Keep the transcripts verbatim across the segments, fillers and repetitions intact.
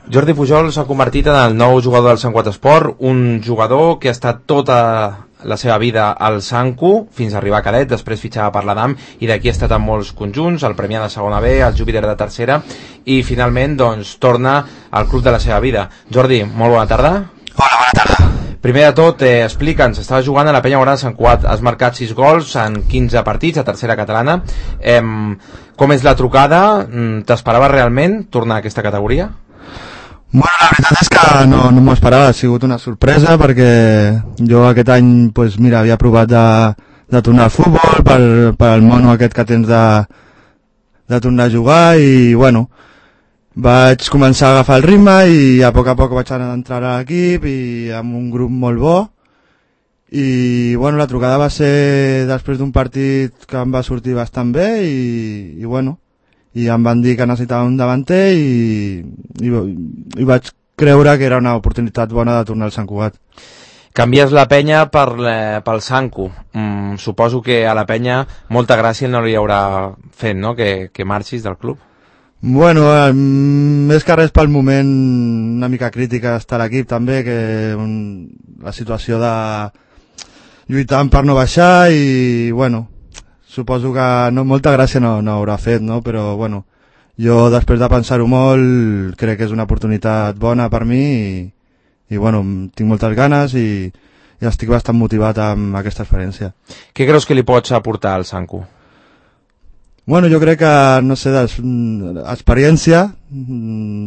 Jordi Pujol s'ha convertit en el nou jugador del Sant Cugat Esport, un jugador que ha estat tota la seva vida al Sancu fins a arribar a Cadet, després fitxava per l'Adam i d'aquí ha estat en molts conjunts, el Premià de segona B, el Júpiter de tercera i finalment doncs torna al club de la seva vida. Jordi, molt bona tarda. Hola, bona tarda. Primer de tot, eh, explica'ns, estaves jugant a la Penya Morada de Sant Cugat, has marcat sis gols en quinze partits a tercera catalana. Eh, com és la trucada? T'esperaves realment tornar a aquesta categoria? Bueno, la veritat és que no, no m'ho esperava, ha sigut una sorpresa perquè jo aquest any, pues, mira, havia provat de, de tornar al futbol per, per el mono aquest que tens de, de tornar a jugar i, bueno, vaig començar a agafar el ritme i a poc a poc vaig entrar a l'equip i amb un grup molt bo i, bueno, la trucada va ser després d'un partit que em va sortir bastant bé i, i bueno, i em van dir que necessitava un davanter i, i, i vaig creure que era una oportunitat bona de tornar al Sant Cugat. Canvies la Penya per, eh, pel Sancu. Mm, suposo que a la Penya molta gràcia no li haurà fet, no?, que, que marxis del club. Bueno, eh, més que res pel moment una mica crítica està l'equip també, que un, la situació de lluitant per no baixar i, bueno, suposo que no, molta gràcia no, no haurà fet, no? Però bueno, jo després de pensar-ho molt crec que és una oportunitat bona per mi i, i bueno, tinc moltes ganes i, i estic bastant motivat amb aquesta experiència. Què creus que li pots aportar al Sancu? Bueno, jo crec que, no sé, des, experiència,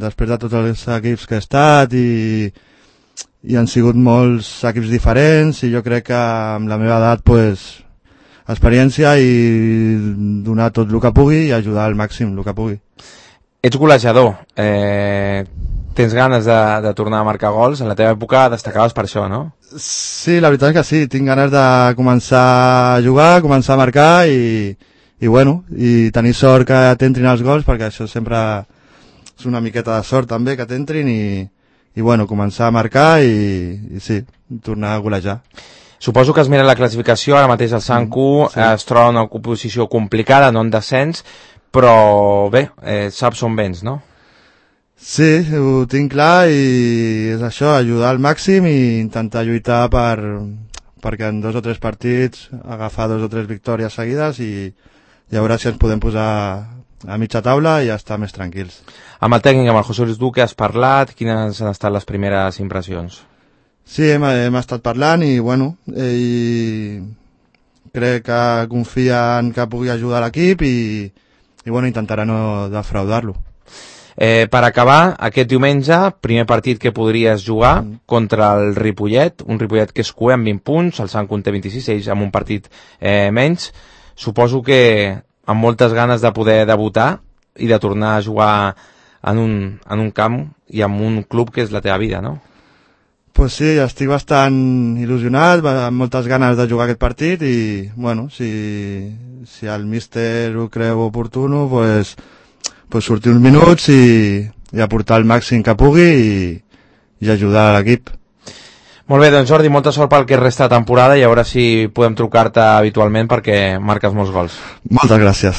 després de tots els equips que he estat i, i han sigut molts equips diferents i jo crec que amb la meva edat, pues, experiència i donar tot el que pugui i ajudar al màxim el que pugui. Ets golejador, eh, tens ganes de, de tornar a marcar gols, en la teva època destacaves per això, no? Sí, la veritat és que sí, tinc ganes de començar a jugar, començar a marcar i, i bueno, i tenir sort que t'entrin els gols perquè això sempre és una miqueta de sort també que t'entrin i, i bueno, començar a marcar i, i sí, tornar a golejar. Suposo que has mirat la classificació, ara mateix el Sancu sí. Es troba en una posició complicada, no en descens, però bé, eh, saps on vens, no? Sí, ho tinc clar i és això, ajudar al màxim i intentar lluitar per, perquè en dos o tres partits agafar dos o tres victòries seguides i, i a veure si ens podem posar a mitja taula i estar més tranquils. Amb el tècnic, amb el José Luis Duque, has parlat? Quines han estat les primeres impressions? Sí, hem, hem estat parlant i, bueno, ell crec que confia en que pugui ajudar l'equip i, i, bueno, intentarà no defraudar-lo. Eh, per acabar, aquest diumenge, primer partit que podries jugar mm. contra el Ripollet, un Ripollet que és cuer amb vint punts, el Sancu en té vint-i-sis, ells amb un partit eh, menys. Suposo que amb moltes ganes de poder debutar i de tornar a jugar en un, en un camp i en un club que és la teva vida, no? Pues sí, estic bastant il·lusionat, amb moltes ganes de jugar aquest partit i, bueno, si, si el míster ho creu oportuno, pues, pues sortir uns minuts i, i aportar el màxim que pugui i, i ajudar a l'equip. Molt bé, doncs Jordi, molta sort pel que resta de temporada i a veure si podem trucar-te habitualment perquè marques molts gols. Moltes gràcies.